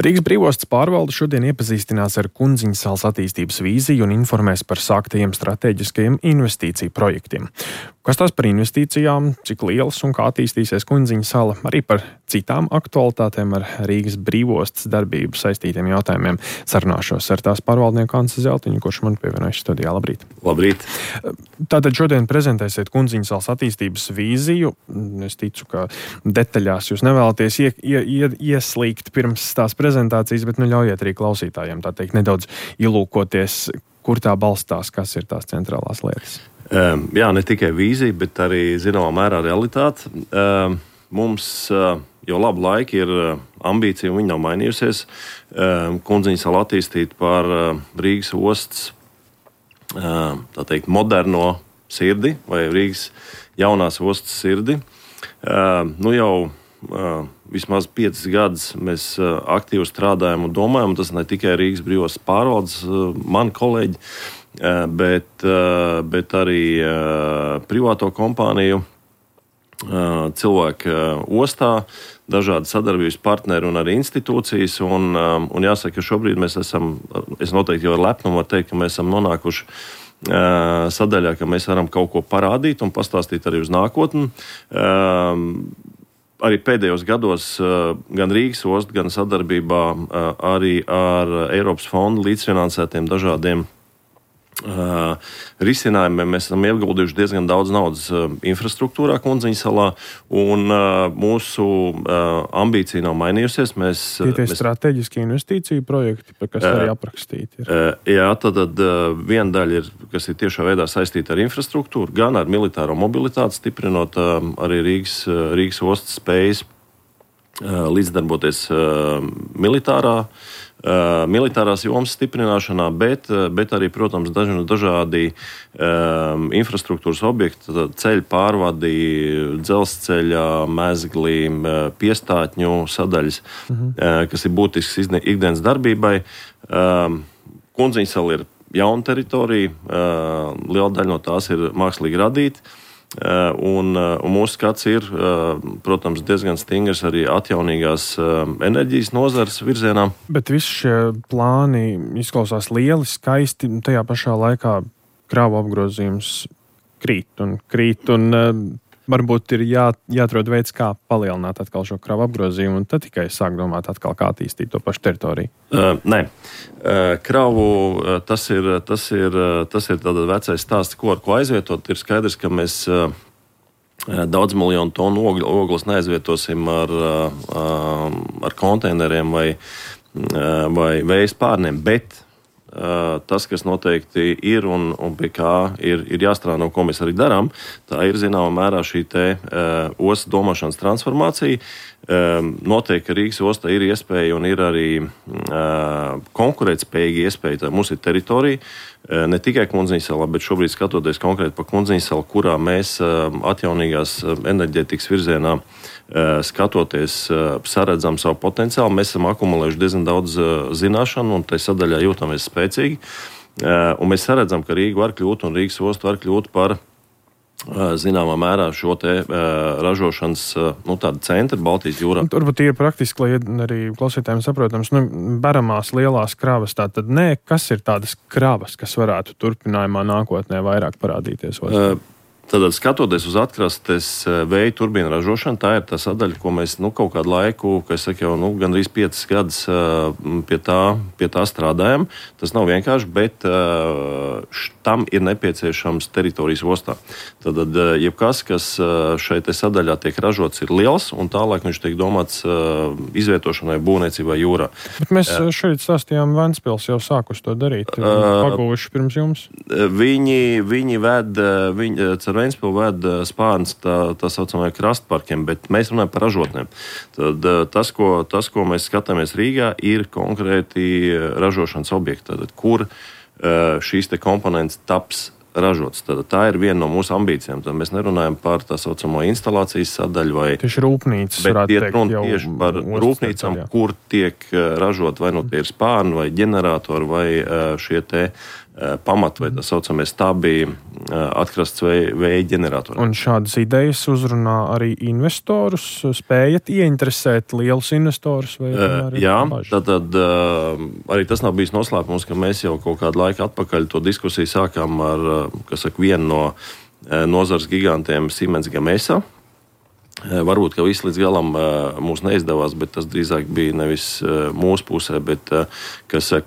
Rīgas brīvostas pārvalde šodien iepazīstinās ar Kundziņas salas attīstības vīziju un informēs par sāktajiem strateģiskajiem investīciju projektiem. Kas tās par investīcijām, cik lielas un kā attīstīsies Kundziņas sala, arī par citām aktualitātēm ar Rīgas brīvostas darbību saistītiem jautājumiem sarunāšos ar tās pārvaldnieku Ansi Zeltiņu, kurš man pievienojas studijā. Labrīt! Labrīt! Tātad šodien prezentēsiet Kundziņas salas attīstības vīziju. Es ticu, ka detaļās jūs nevēlaties ieslīgt pirms tās prezentācijas, bet ļaujiet arī klausītājiem tā teikt nedaudz ielūkoties, kur tā balstās, kas ir tās centrālās lietas. Jā, ne tikai vīzija, bet arī zināmā mērā realitāte. Mums jau labu laiku ir ambīcija, un viņa nav mainījusies. Kundziņas salu attīstīt par Rīgas ostas, tā teikt, moderno sirdi vai Rīgas jaunās ostas sirdi. Jau vismaz 5 gadus mēs aktīvi strādājam un domājam, un tas ne tikai Rīgas brīvostas pārvaldes, mani kolēģi, bet arī privāto kompāniju cilvēki ostā, dažādi sadarbības partneri un arī institūcijas. Un jāsaka, ka šobrīd mēs esam, es noteikti jau ar lepnumu varu teikt, ka mēs esam nonākuši sadaļā, ka mēs varam kaut ko parādīt un pastāstīt arī uz nākotni. Arī pēdējos gados gan Rīgas osta, gan sadarbībā arī ar Eiropas fondu līdzfinansētiem dažādiem risinājumiem mēs esam ieguldījuši diezgan daudz naudas infrastruktūrā Kundziņas salā, un mūsu ambīcija nav mainījusies. Tie strateģiski investīciju projekti, kas arī aprakstīti ir. Jā, tad viena daļa ir, kas ir tiešā veidā saistīta ar infrastruktūru, gan ar militāro mobilitāti, stiprinot arī Rīgas ostas spējas līdzdarboties militārās jomas stiprināšanā, bet arī, protams, dažādi infrastruktūras objekti, ceļu pārvadi, dzelzceļa, mezglī, piestātņu sadaļas, kas ir būtisks ikdienas darbībai. Kundziņas sala ir jauna teritorija, liela daļa no tās ir mākslīgi radīta. Un mūsu skats ir, protams, diezgan stingrs arī atjaunīgās enerģijas nozares virzienā. Bet visi šie plāni izklausās lieli, skaisti, tajā pašā laikā krāvu apgrozījums krīt un varbūt ir jāatrod veids, kā palielināt atkal šo kravu apgrozījumu, un tad tikai sāk domāt atkal, kā attīstīt to pašu teritoriju. Nē. Kravu, tas ir tāda vecais stāsts, ar ko aizvietot. Ir skaidrs, ka mēs daudz miljonu tonu ogles neaizvietosim ar konteineriem vai vējas pārniem, bet tas, kas noteikti ir un pie kā ir jāstrādā, ko mēs arī darām, tā ir zināmā mērā šī ostas domāšanas transformācija. Noteikti, ka Rīgas ostā ir iespēja un ir arī konkurētspējīga iespēja. Tā mums ir teritorija, ne tikai Kundziņas salā, bet šobrīd skatoties konkrēti pa Kundziņas salu, kurā mēs atjaunīgās enerģētikas virzienā skatoties, saredzam savu potenciālu. Mēs esam akumulējuši diezgan daudz zināšanu un tai sadaļā jūtamies spēcīgi. Un mēs saredzam, ka Rīga var kļūt un Rīgas osta var kļūt par zināmā mērā šo ražošanas tādu centru Baltijas jūrā. Turbūt ir praktiski, lai arī klausītājiem saprotams, beramās lielās kravas, tātad kas ir tādas kravas, kas varētu turpinājumā nākotnē vairāk parādīties ostā? Tātad, skatoties uz atkrastes vēja turbīnu ražošanu, tā ir tā sadaļa, ko mēs kaut kādu laiku, gandrīz 5 gadus pie tā strādājam. Tas nav vienkārši, bet tam ir nepieciešams teritorijas ostā. Tātad, jebkas, kas šeit sadaļā tiek ražots, ir liels, un tālāk viņš tiek domāts izvietošanai būvniecībai jūrā. Bet mēs šeit stāstījām, Ventspils jau sākus to darīt, paguvuši pirms jums. Viņi ar Ventspilu ved spārns tā saucamajā krastparkiem, bet mēs runājam par ražotnēm. Tad tas, ko mēs skatāmies Rīgā, ir konkrēti ražošanas objekti, kur šīs komponentes taps ražots. Tad tā ir viena no mūsu ambīcijām. Tad mēs nerunājam par tā saucamo instalācijas sadaļu vai tieši rūpnīcas, bet iet runa tieši par rūpnīcām, kur tiek ražot vai tie ir spārni vai ģeneratori vai šie pamatu vai tā saucamie stabī atkrasts vēja ģeneratori. Un šādas idejas uzrunā arī investorus? Spējat ieinteresēt lielus investorus? Jā, tad arī tas nav bijis noslēpums, ka mēs jau kaut kādu laiku atpakaļ to diskusiju sākām ar, vienu no nozares gigantiem Siemens Gamesa. Varbūt, ka viss līdz galam mums neizdevās, bet tas drīzāk bija nevis mūsu pusē, bet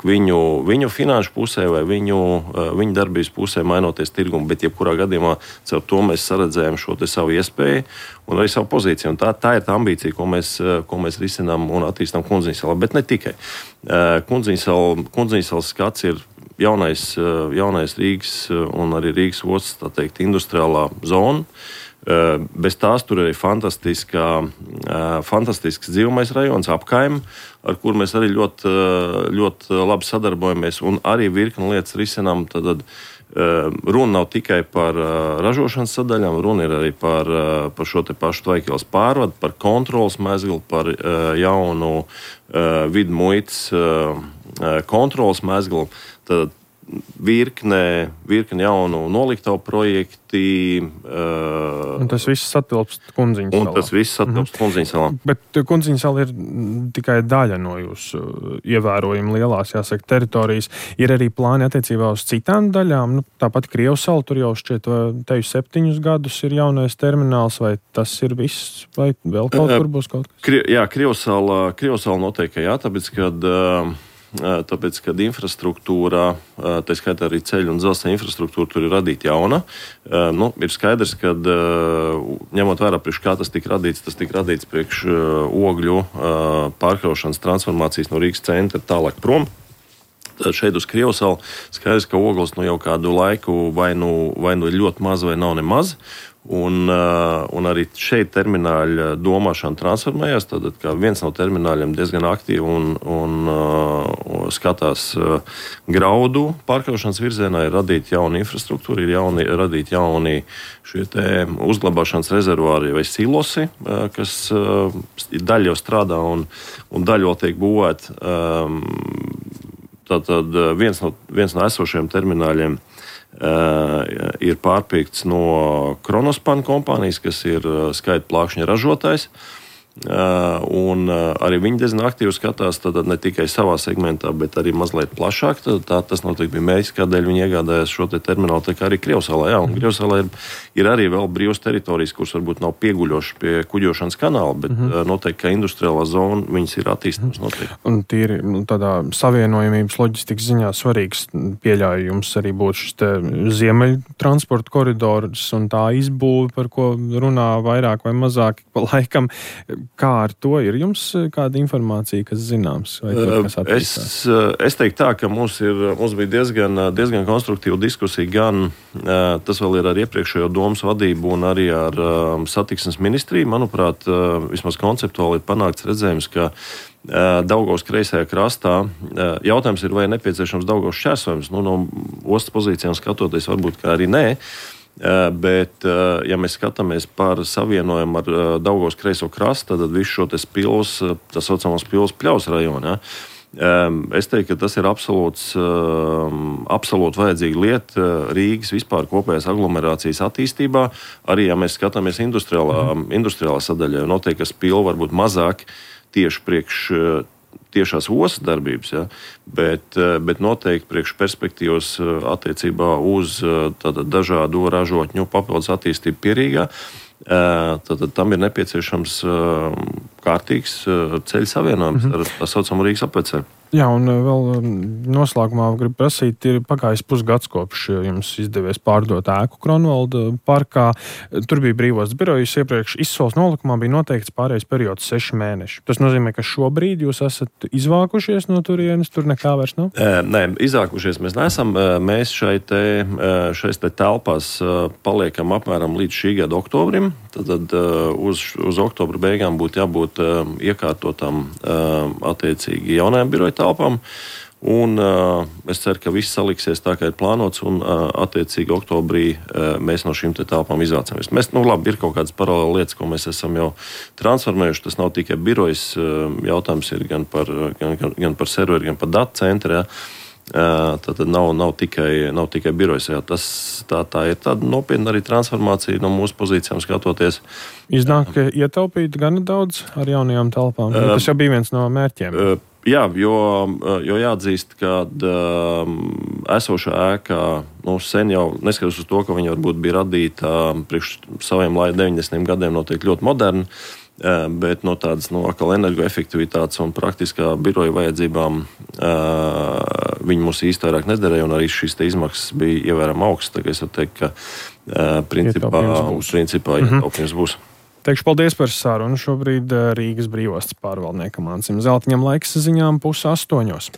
viņu finanšu pusē vai viņu darbības pusē mainoties tirgumu. Bet jebkurā gadījumā caur to mēs saredzējām šo te savu iespēju un arī savu pozīciju. Un tā ir tā ambīcija, ko mēs risinām un attīstām Kundziņsalā. Bet ne tikai. Kundziņsalas skats ir jaunais Rīgas un arī Rīgas ostas, tā teikt, industriālā zona. Bez tās tur arī fantastisks dzīvamais rajons, apkaime, ar kur mēs arī ļoti labi sadarbojamies un arī virkni lietas risinām. Tad runa nav tikai par ražošanas sadaļām, runa ir arī par šo te pašu Tvaikielas pārvadu, par kontrolas mezglu, par jaunu vidu muitas kontrolas mezglu. Tad virkne jaunu noliktavu projekti. Un tas viss satilpst Kundziņsalā. Bet Kundziņsala ir tikai daļa no jūsu ievērojami lielās, jāsaka, teritorijas. Ir arī plāni attiecībā uz citām daļām. Tāpat Krievsala, tur jau šķiet, teju 7 gadus ir jaunais termināls, vai tas ir viss, vai vēl kaut kur būs kaut kas? Jā, Krievsala noteikti jā, tāpēc, kad infrastruktūrā, tā skaitā arī ceļu un dzelzceļa infrastruktūra tur ir radīta jauna. Ir skaidrs, ka ņemot vērā priekš kā tas tika radīts priekš ogļu pārkraušanas transformācijas no Rīgas centra tālāk prom. Tad šeit uz Krievsalu skaidrs, ka ogles jau kādu laiku vai nu ir ļoti maz vai nav nemaz. Un arī šeit termināļa domāšana transformējās. Tad viens no termināļiem diezgan aktīvi un skatās graudu pārkraušanas virzienā, ir radīta jauna infrastruktūra, ir radīti jauni šie te uzglabāšanas rezervuāri vai silosi, kas daļa jau strādā un daļa vēl tiek būvēta. Tātad viens no esošajiem termināļiem ir pārpirkts no Kronospan kompānijas, kas ir skaita plākšņa ražotājs. Un arī viņi diezgan aktīvi skatās ne tikai savā segmentā, bet arī mazliet plašāk. Tas noteikti bija mērķis, kādēļ viņi iegādājās šo te terminālu, tā kā arī Krievsalā. Jā, un Krievsalā ir arī vēl brīvas teritorijas, kuras varbūt nav pieguļošas pie kuģošanas kanāla, bet noteikti, ka industriālā zona viņas ir attīstāmas noteikti. Un tīri tādā savienojamības loģistikas ziņā svarīgs pieļauju jums arī būtu šis te ziemeļu transporta koridors un tā izbūve, par ko runā vairāk vai mazāk pa laikam. Kā ar to ir jums kāda informācija, kas zināms? Vai tur, kas attīstās? Es teiktu tā, ka mums bija diezgan konstruktīva diskusija, gan tas vēl ir ar iepriekšējo domas vadību un arī ar satiksmes ministriju. Manuprāt, vismaz konceptuāli ir panākts redzējums, ka Daugavas kreisajā krastā jautājums ir, vai nepieciešams Daugavas šķērsojums. No ostas pozīcijām skatoties, varbūt kā arī nē. Bet, ja mēs skatāmies par savienojumu ar Daugavas kreiso krastu, tad visu šo te spilus, tā saucamās spilus pļaus rajonā, es teiktu, ka tas ir absolūti vajadzīga lieta Rīgas vispār kopējās aglomerācijas attīstībā. Arī, ja mēs skatāmies industriālā sadaļā, noteikti, ka spilu varbūt mazāk tieši priekš tiešās ostas darbības, ja? bet noteikti priekš perspektīvas attiecībā uz dažādu ražotņu papildus attīstību Pierīgā. Tad tam ir nepieciešams kārtīgs ceļu savienojums ar tā saucamu Rīgas apveceļu. Jā, un vēl noslēgumā gribu prasīt, ir pagājis pusgads kopš jums izdevies pārdot ēku Kronvalda parkā. Tur bija brīvos birojus, iepriekš izsoles nolikumā bija noteikts pārējais periods 6 mēneši. Tas nozīmē, ka šobrīd jūs esat izvākušies no turienes, tur nekā vairs nav? Nē, izvākušies mēs neesam. Mēs šeit telpās paliekam apmēram līdz šī gada oktobrim. Tad uz oktobra beigām būtu jābūt iekārtotām attiecīgi jaunajām biroju telpām. Un es ceru, ka viss saliksies tā, kā ir plānots, un attiecīgi oktobrī mēs no šīm telpām izvācamies. Ir kaut kādas paralēli lietas, ko mēs esam jau transformējuši. Tas nav tikai birojas, jautājums ir gan par serveri, gan par datu centru. Ja. Tad nav tikai birojas. Tā ir tāda nopietna arī transformācija no mūsu pozīcijām skatoties. Iznāk, ka ietaupīt gana daudz ar jaunajām telpām. Tas jau bija viens no mērķiem. Jā, jo jāatzīst, ka esošā ēkā sen jau, neskatoties uz to, ka viņa varbūt bija radīta priekš saviem 90. gadiem, noteikti ļoti moderna, bet no tādas atkal energoefektivitātes un praktiskā biroja vajadzībām viņi mums īsti vairāk nederēja, un arī šīs izmaksas bija ievērām augstas. Tā kā es varu teikt, ka principā ietaupījums būs. Teikšu paldies par sarunu. Šobrīd Rīgas brīvostas pārvaldniekam Ansim Zeltiņam laiks ziņām 7:30.